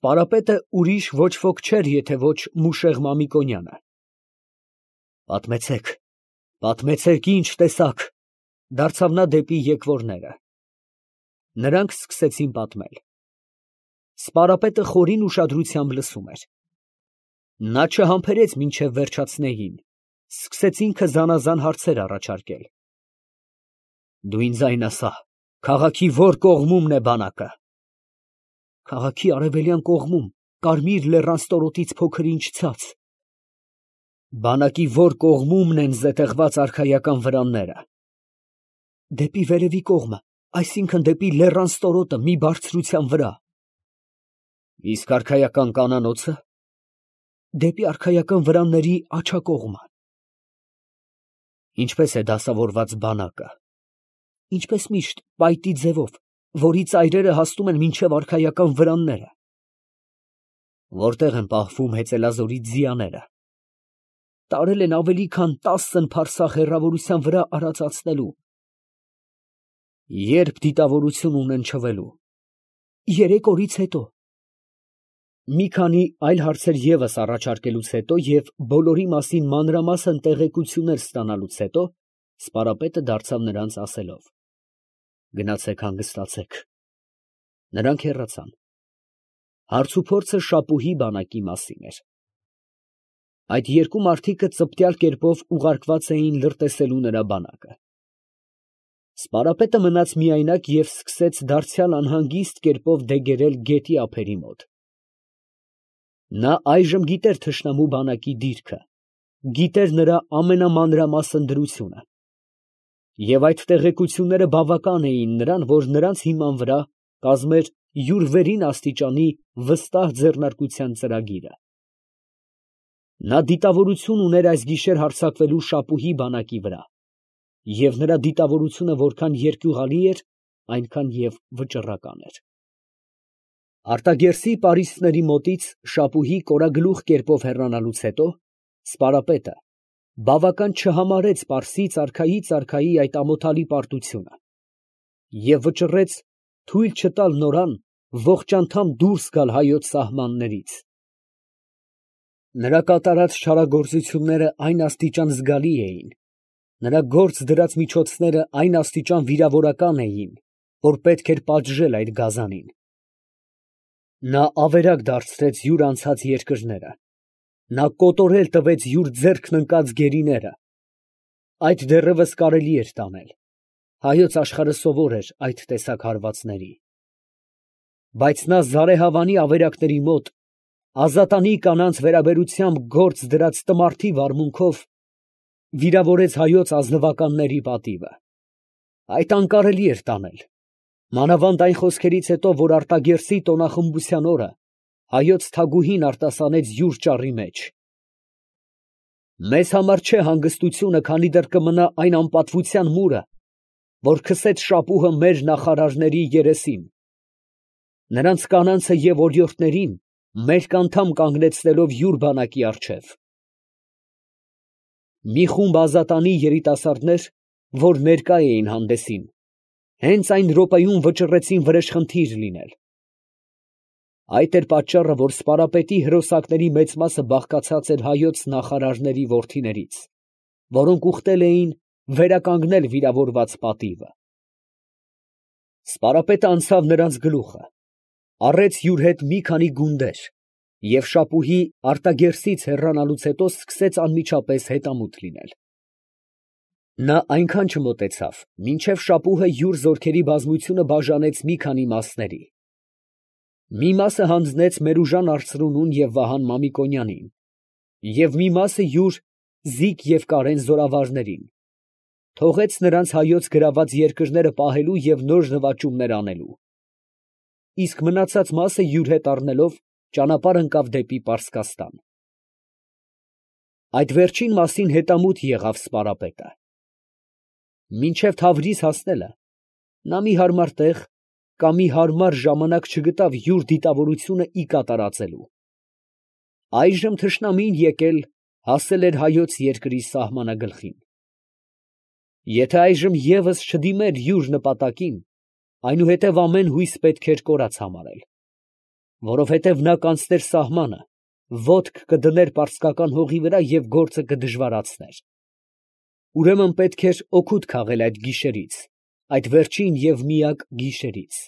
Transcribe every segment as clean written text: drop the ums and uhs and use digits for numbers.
Սպարապետը ուրիշ ոչ ոք չէր, եթե ոչ Մուշեղ Մամիկոնյանը։ Պատմեցեք, պատմեցեք, ինչ տեսաք, դարձավ նա դեպի եկվորները։ Նրանք սկսեցին պատմել։ Սպարապետը խորին ուշադրությամբ լսում էր։ Նա չհամբերեց մինչև վերջացնեին, սկսեց ինքը զանազան հարցեր առաջարկել։ Դու ինձ այն ասա, քաղաքի ո՞ր կողմումն է բանակը։ Քաղաքի արևելյան կողմում, Կարմիր լեռան ստորոտից փոքր ինչ ցած։ Բանակի ո՞ր կողմումն են զետեղված արքայական վրանները։ Դեպի վերևի կողմը, այսինքն դեպի լեռան ստորոտը մի բարձրության վրա։ Իսկ արքայական կանանոցը։ Դեպի արքայական վրանների աջակողմը։ Ինչպես է դասավորված բանակը։ Ինչպես միշտ, պայտի ձևով, որի ծայրերը հասնում են մինչև արքայական վրանները։ Որտեղ են պահվում հեծելազորի ձիաները։ Տարել են ավելի քան 10 փարսահ հեռավորության վրա արածացնելու։ Երբ դիտավորություն ունեն չվելու։ 3 օրից հետո։ Մի քանի այլ հարցեր ևս առաջարկելուց հետո և բոլորի մասին մանրամասն տեղեկություններ ստանալուց հետո, սպարապետը դարձավ նրանց ասելով. Գնացեք հանգստացեք։ Նրանք հեռացան։ Հարցուփորձը Շապուհի բանակի մասին էր։ Այդ երկու մարդիկը ծպտյալ կերպով ուղարկված էին լրտեսելու նրա բանակը։ Սպարապետը մնաց միայնակ և սկսեց դարձյալ անհանգիստ կերպով դեգերել գետի ափերի մոտ։ Նա այժմ գիտեր թշնամու բանակի դիրքը, գիտեր նրա ամենամանրամասն դրությունը։ Եվ այդ տեղեկությունները բավական էին նրան, որ նրանց հիման վրա կազմեր յուր վերին աստիճանի վստահ ձեռնարկության ծրագիրը։ Նա դիտավորություն ուներ այս գիշեր հարձակվելու Շապուհի բանակի վրա, և նրա դիտավորությունը որքան երկյուղալի էր, այնքան և վճռական էր։ Արտագերսի պարիսպների մոտից Շապուհի կորագլուխ կերպով հեռանալուց հետո, Սպարապետը բավական չհամարեց Պարսից արքայի այդ ամոթալի պարտությունը և վճռեց թույլ չտալ նորան ողջ անդամ դուրս գալ հայոց սահմաններից։ Նրա կատարած չարագործությունները այն աստիճան զգալի էին, նրա գործ դրած միջոցները այն աստիճան վիրավորական էին, որ պետք էր պատժել այդ գազանին։ Նա ավերակ դարձրեց յուր անցած երկրները, նա կոտորել տվեց յուր ձեռքն ընկած գերիները։ Այդ դեռևս կարելի էր տանել, հայոց աշխարհը սովոր էր այդ տեսակ հարվածների։ Բայց նա զարեհավանի ավերակների մոտ, ազատանի կանանց վերաբերությամբ գործ դրած տմարդի վարմունքով վիրավորեց հայոց ազնվականների պատիվը։ Այդ անկարելի էր տանել, մանավանդ այն խոսքերից հետո, որ Արտագերսի տոնախմբության օրը հայոց թագուհին արտասանեց յուր ճառի մեջ։ Մեզ համար չէ հանգստությունը, քանի դեռ կմնա այն անպատվության մուրը, որ քսեց Շապուհը մեր նախարարների երեսին, նրանց կանանցը և օրիորդներին մերկ անդամ կանգնեցնելով յուր բանակի առջև։ Մի խումբ ազատանի երիտասարդներ, որ ներկա էին հանդեսին, հենց այն րոպեում վճռեցին վրեժխնդիր լինել։ Այդ էր պատճառը, որ Սպարապետի հրոսակների մեծ մասը բաղկացած էր հայոց նախարարների որդիներից, որոնք ուխտել էին վերականգնել վիրավորված պատիվը։ Սպարապետը անցավ նրանց գլուխը, առեց յուր հետ մի քանի գունդեր և Շապուհի Արտագերսից հեռանալուց հետո սկսեց անմիջապես հետամուտ լինել։ Նա այնքան չմոտեցավ, մինչև Շապուհը յուր զորքերի բազմությունը բաժանեց մի քանի մասների։ Մի մասը հանձնեց Մերուժան արծրունուն և Վահան Մամիկոնյանին, և մի մասը յուր Զիկ և Կարեն զորավարներին, թողեց նրանց հայոց գրաված երկրները պահելու և նոր նվաճումներ անելու, իսկ մնացած մասը յուր հետ առնելով ճանապարհ ընկավ դեպի Պարսկաստան։ Այդ վերջին մասին հետամուտ եղավ Սպարապետը։ Մինչև Թավրիզ հասնելը նա մի հարմար տեղ կամ մի հարմար ժամանակ չգտավ յուր դիտավորությունը ի կատարածելու։ Այժմ թշնամին եկել հասել էր հայոց երկրի սահմանագլխին։ Եթե այժմ ևս չդիմեր յուր նպատակին, այնուհետև ամեն հույս պետք էր կորած համարել։ որովհետև նա կանցներ սահմանը, ոտք կդներ պարսկական հողի վրա և գործը կդժվարացներ։ Ուրեմն պետք էր օգուտ քաղել այդ գիշերից, այդ վերջին և միակ գիշերից։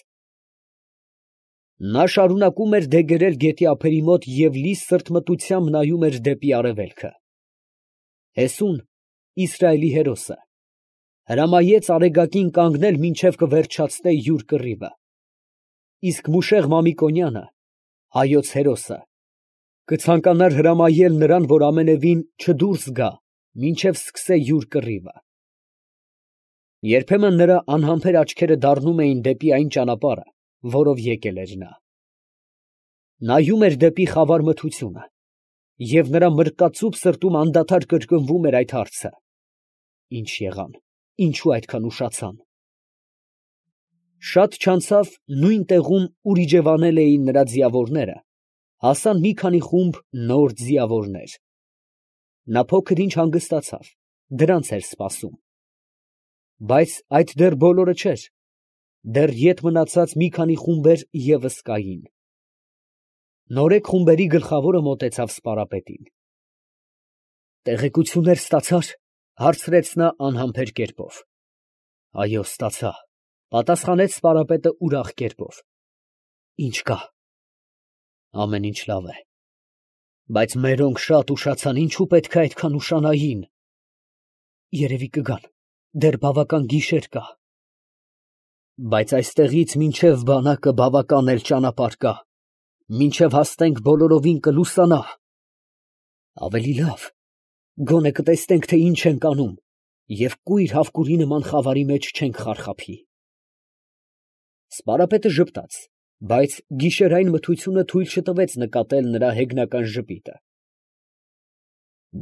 Նա շարունակում էր դեգերել գետի ափերի մոտ և լի սրտմտությամբ նայում էր դեպի արևելքը։ Հեսուն, Իսրայելի հերոսը, հրամայեց արեգակին կանգնել, մինչև կվերջացնե յուր կռիվը, իսկ Մուշեղ Մամիկոնյանը, հայոց հերոսը, կցանկանար հրամայել նրան, որ ամենևին չդուրս գա, մինչև սկսե յուր կռիվը։ Երբեմն նրա անհամբեր աչքերը դառնում էին դեպի այն ճանապարհը, որով եկել էր նա։ Նայում էր դեպի խավար մթությունը, և նրա մրկածուփ սրտում անդադար կրկնվում էր այդ հարցը. ի՞նչ եղան, ինչու այդքան ուշացան։ Շատ չանցավ, նույն տեղում, ուր իջևանել էին նրա ձիավորները, հասան մի քանի խումբ նոր ձիավորներ։ Նա փոքր ինչ հանգստացավ, դրանց էր սպասում։ Բայց այդ դեռ բոլորը չէր, դեռ ետ մնացած մի քանի խումբեր ևս կային։ Նորեկ խումբերի գլխավորը մոտեցավ սպարապետին։ «Տեղեկություններ ստացա՞ր», հարցրեց նա անհամբեր կերպով։ «Այո, ստացա», պատասխանեց սպարապետը ուրախ կերպով։ «Ի՞նչ կա»։ «Ամեն ինչ լավ է։ Բայց մերոնք շատ ուշացան, ինչու պետք է այդքան ուշանային»։ «Երևի կգան, դեռ բավական գիշեր կա»։ «Բայց այստեղից մինչև բանակը բավական էլ ճանապարհ կա, մինչև հասնենք բոլորովին կլուսանա»։ «Ավելի լավ, գոնե կտեսնենք, թե ինչ ենք անում, և կույր հավկուրի նման խավարի մեջ չենք խարխափի»։ Սպարապետը ժպտաց, բայց գիշերային մթությունը թույլ չտվեց նկատել նրա հեգնական ժպիտը։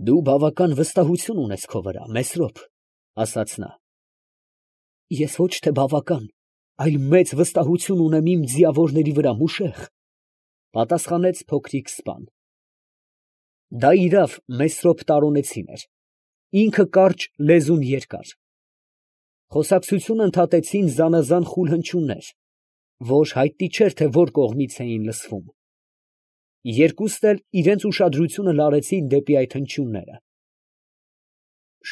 «Դու բավական վստահություն ունես քո վրա, Մեսրոպ», ասաց նա։ «Ես ոչ թե բավական, այլ մեծ վստահություն ունեմ իմ ձիավորների վրա, Մուշեղ», պատասխանեց փոքրիկ սպան։ Դա իրավ Մեսրոպ տարոնեցին էր, ինքը կարճ, լեզուն երկար։ Խոսակցությունը ընդհատեցին զանազան խուլ հնչյուններ, որ հայտնի չէր, թե որ կողմից էին լսվում։ Երկուսն էլ իրենց ուշադրությունը լարեցին դեպի այդ հնչյունները։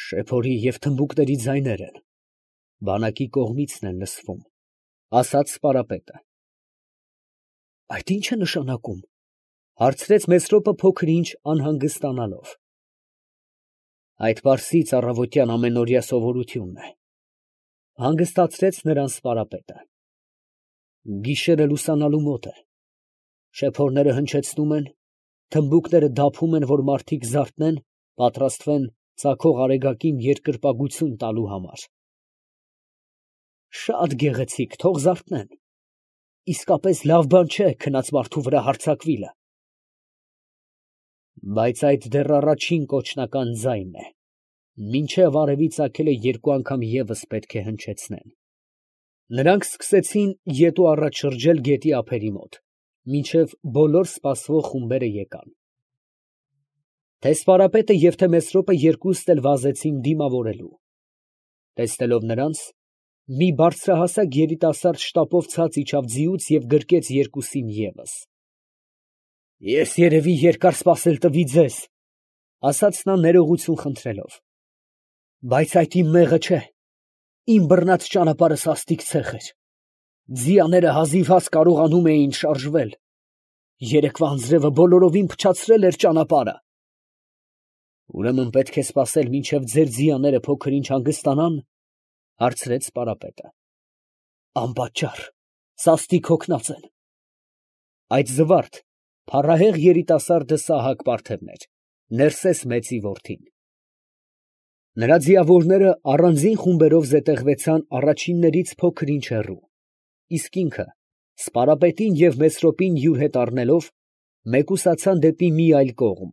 «Շեփորի և թմբուկների ձայներ են, բանակի կողմիցն են լսվում», ասաց սպարապետը։ «Այդ ի՞նչ է նշանակում», հարցրեց Մեսրոպը փոքր ինչ անհանգստանալով։ «Այդ պարսից առավոտյան ամենօրյա սովորությունն է», հանգստացրեց նրան սպարապետը։ «Գիշերը լուսանալու մոտ է, շեփորները հնչեցնում են, թմբուկները դափում են, որ մարդիկ զարթնեն, պատրաստվեն ծագող արեգակին երկրպագություն տալու համար»։ «Շատ գեղեցիկ, թող զարթնեն, իսկապես լավ բան չէ քնած մարդու վրա հարձակվիլը»։ «Բայց այդ դեռ առաջին կոչնական ձայնն է, մինչև արևի ծագելը երկու անգամ ևս պետք է հնչեցնեն»։ Նրանք սկսեցին ետ ու առաջ շրջել գետի ափերի մոտ, մինչև բոլոր սպասվող խումբերը եկան։ Թե սպարապետը և թե Մեսրոպը երկուսն էլ վազեցին դիմավորելու։ Տեսնելով նրանց, մի բարձրահասակ երիտասարդ շտապով ցած իջավ ձիուց և գրկեց երկուսին ևս։ «Ես երևի երկար սպասել տվի ձեզ», ասաց նա ներողություն խնդրելով, «բայց այդ իմ մեղը չէ, իմ բռնած ճանապարհը սաստիկ ցեխ էր, ձիաները հազիվհազ կարողանում էին շարժվել, երեկվա անձրևը բոլորովին փչացրել էր ճանապարհը»։ «Ուրեմն պետք է սպասել, մինչև ձեր ձիաները փոքր ինչ հանգստանան», հարցրեց սպարապետը։ «Անպատճառ, սաստիկ հոգնած են»։ Այդ զվարթ, փառահեղ երիտասարդը Սահակ Պարթևն էր, Ներսես մեծի որդին։ Նրա ձիավորները առանձին խումբերով զետեղվեցան առաջիններից փոքր ինչ հեռու, իսկ ինքը, սպարապետին և Մեսրոպին յուր հետ առնելով, մեկուսացան դեպի մի այլ կողմ,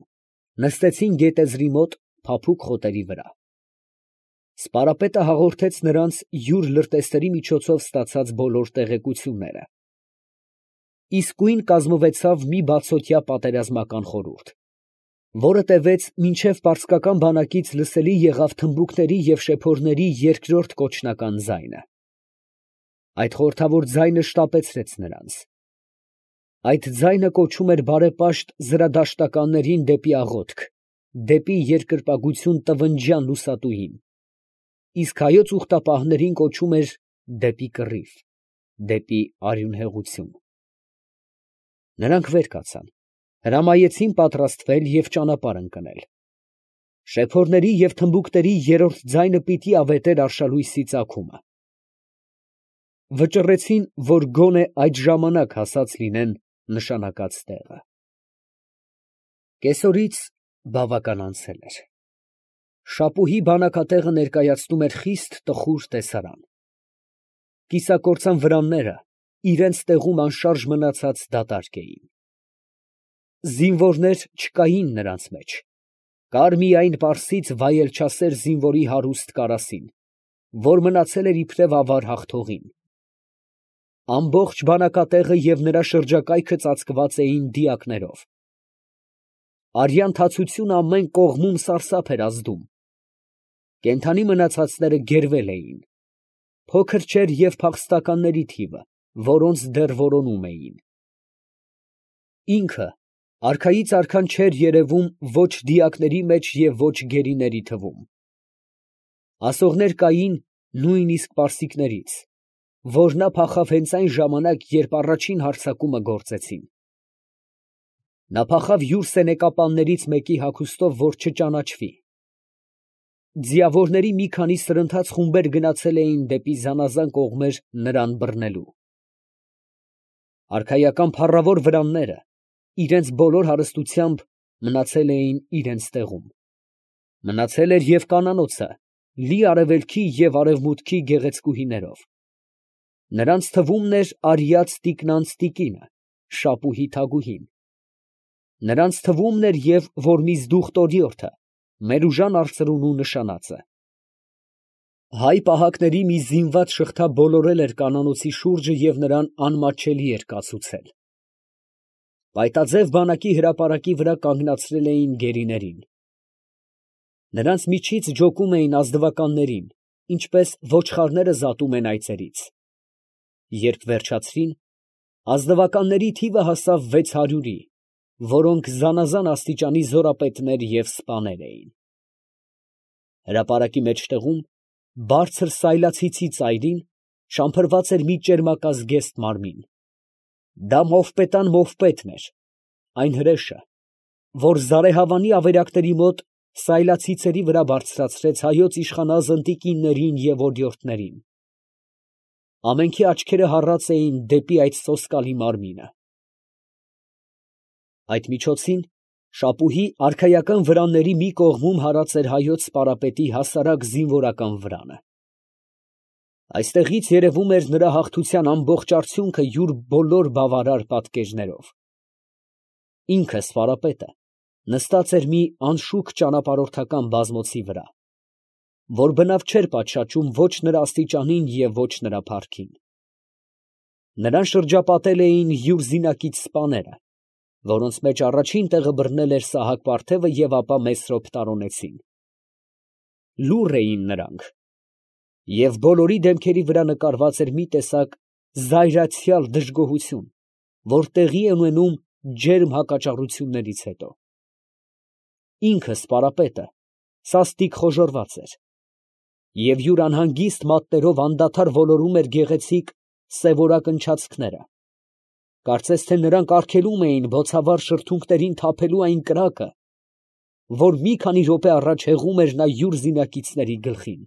նստեցին գետեզրի մոտ փափուկ խոտերի վրա։ Սպարապետը հաղորդեց նրանց յուր լրտեսների միջոցով ստացած բոլոր տեղեկությունները։ Իսկույն կազմվեցավ մի բացօթյա պատերազմական խորհուրդ, որը տևեց մինչև պարսկական բանակից լսելի եղավ թմբուկների և շեփորների երկրորդ կոչնական ձայնը։ Այդ խորհրդավոր ձայնը շտապեցրեց նրանց։ Այդ ձայնը կոչում էր բարեպաշտ զրադաշտականներին դեպի աղոթք, դեպի երկրպագություն տվնջյան լուսատուին, իսկ հայոց ուխտապահներին կոչում էր դեպի կռիվ, դեպի արյունհեղություն։ Նրանք վեր կացան, հրամայեցին պատրաստվել և ճանապարհ ընկնել։ Շեփորների և թմբուկների երրորդ ձայնը պիտի ավետեր արշալույսի ծագումը։ Վճռեցին, որ գոնե այդ ժամանակ հասած լինեն նշանակած տեղը։ Կեսօրից բավական անցել էր։ Շապուհի բանակատեղը ներկայացնում էր խիստ տխուր տեսարան։ Կիսակործան վրանները իրենց տեղում անշարժ մնացած դատարկ էին։ Զինվորներ չկային նրանց մեջ, կար միայն պարսից վայելչասեր զինվորի հարուստ կարասին, որ մնացել էր իբրև ավար հաղթողին։ Ամբողջ բանակատեղը և նրա շրջակայքը ծածկված էին դիակներով։ Արյան թացությունը ամեն կողմում սարսափ էր ազդում։ Կենդանի մնացածները գերվել էին։ Փոքր չէր և փախստականների թիվը, որոնց դեռ որոնում էին։ Ինքը արքայից արքան չէր երևում ոչ դիակների մեջ և ոչ գերիների թվում։ Ասողներ կային նույնիսկ պարսիկներից, որ նա փախավ հենց այն ժամանակ, երբ առաջին հարձակումը գործեցին։ Նա փախավ յուր սենեկապաններից մեկի հագուստով, որ չճանաչվի։ Ձիավորների մի քանի սրընթաց խումբեր գնացել էին դեպի զանազան կողմեր նրան բռնելու։ Արքայական փառավոր վրանները իրենց բոլոր հարստությամբ մնացել էին իրենց տեղում։ Մնացել էր և կանանոցը, լի արևելքի և արևմուտքի գեղեցկուհիներով։ Նրանց թվում էր արյած տիկնանց տիկինը, Շապուհի թագուհին։ Նրանց թվում էր և Որմիզդուխ տորիորդը, Մերուժան արծրունու նշանածը։ Հայ պահակների մի զինված շղթա բոլորել էր կանանոցի շուրջը և նրան անմատչելի էր կացուցել։ Պայտաձև բանակի հրապարակի վրա կանգնացրել էին գերիներին։ Նրանց միջից ջոկում էին ազնվականներին, ինչպես ոչխարները զատում են այծերից։ Երբ վերջացրին, ազնվականների թիվը հասավ 600-ի, որոնք զանազան աստիճանի զորապետներ և սպաներ էին։ Հրապարակի մեջտեղում, բարձր սայլացիցի ծայրին, շամփրված էր մի ճերմակազգեստ մարմին։ Դա մովպետան մովպետն էր, այն հրեշը, որ զարեհավանի ավերակների մոտ սայլացիցերի վրա բարձրացրեց հայոց իշխանազն տիկիններին և օրիորդներին։ Ամենքի աչքերը հառած էին դեպի այդ սոսկալի մարմինը։ Այդ միջոցին Շապուհի արքայական վրանների մի կողմում հարած էր հայոց սպարապետի հասարակ զինվորական վրանը։ Այստեղից երևում էր նրա հաղթության ամբողջ արդյունքը յուր բոլոր բավարար պատկերներով։ Ինքը սպարապետը նստած էր մի անշուք ճանապարհորդական բազմոցի վրա, որ բնավ չէր պատշաճում ոչ նրա աստիճանին և ոչ նրա փառքին։ Նրան շրջապատել էին յուր զինակից սպաները, որոնց մեջ առաջին տեղը բռնել էր Սահակ֊Պարթևը և ապա Մեսրոպ տարոնեցին։ Լուռ էին նրանք, և բոլորի դեմքերի վրա նկարված էր մի տեսակ զայրացյալ դժգոհություն, որ տեղի է ունենում ջերմ հակաճառություններից հետո։ Ինքը սպարապետը սաստիկ խոժոռված էր, և յուր անհանգիստ մատներով անդադար ոլորում էր գեղեցիկ սևորակ ընչացքները, կարծես թե նրանք արգելում էին բոցավառ շրթունքներին թափելու այն կրակը, որ մի քանի րոպե առաջ հեղում էր նա յուր զինակիցների գլխին։